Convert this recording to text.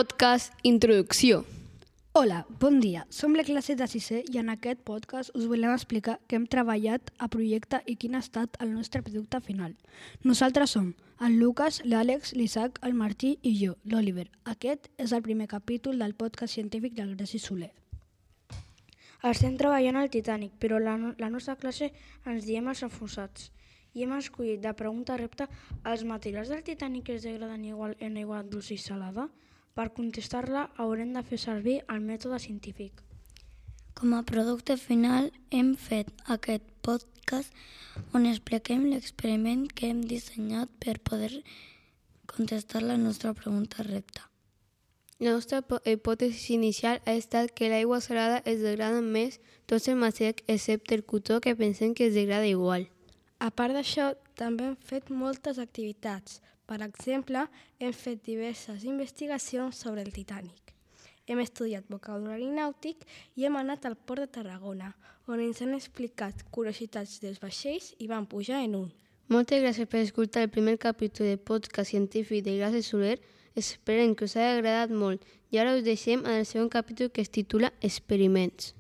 podcast Introducció. Hola, bon dia. Som la classe de 6è i en aquest podcast us volem explicar què hem treballat a projecte i quin ha estat el nostre producte final. Nosaltres som el Lucas, l'Àlex, l'Isaac, el Martí i jo, l'Oliver. Aquest és el primer capítol del podcast científic del Greci Soler. Estem treballant al Titanic, però la nostra classe ens diem els enfonsats i hem escollit de pregunta-repte els materials del Titanic es degraden igual en aigua dolça i salada? Per contestar-la haurem de fer servir el mètode científic. Com a producte final hem fet aquest podcast on expliquem l'experiment que hem dissenyat per poder contestar la nostra pregunta repte. La nostra hipòtesi inicial ha estat que l'aigua salada es degrada més tots els materials excepte el cotó que pensem que es degrada igual. A part d'això, també hem fet moltes activitats. Per exemple, hem fet diverses investigacions sobre el Titanic. Hem estudiat vocabulari nàutic i hem anat al port de Tarragona, on ens han explicat curiositats dels vaixells i vam pujar en un. Moltes gràcies per escoltar el primer capítol del podcast científic de Greci Soler. Esperem que us hagi agradat molt i ara us deixem en el segon capítol que es titula Experiments.